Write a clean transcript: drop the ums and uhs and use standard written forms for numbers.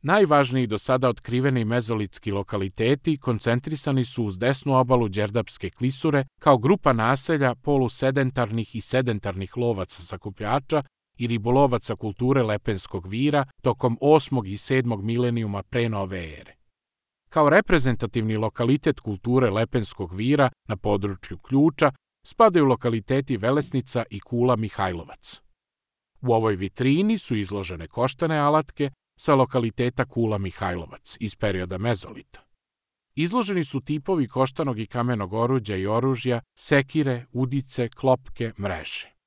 Najvažniji do sada otkriveni mezolitski lokaliteti koncentrisani su uz desnu obalu Đerdapske klisure kao grupa naselja polusedentarnih i sedentarnih lovaca sakupljača i ribolovaca kulture Lepenskog vira tokom 8. i 7. milenijuma pre nove ere. Kao reprezentativni lokalitet kulture Lepenskog vira na području Ključa spadaju lokaliteti Velesnica i Kula Mihajlovac. U ovoj vitrini su izložene koštane alatke sa lokaliteta Kula Mihajlovac iz perioda mezolita. Izloženi su tipovi koštanog i kamenog oruđa i oružja, sekire, udice, klopke, mreže.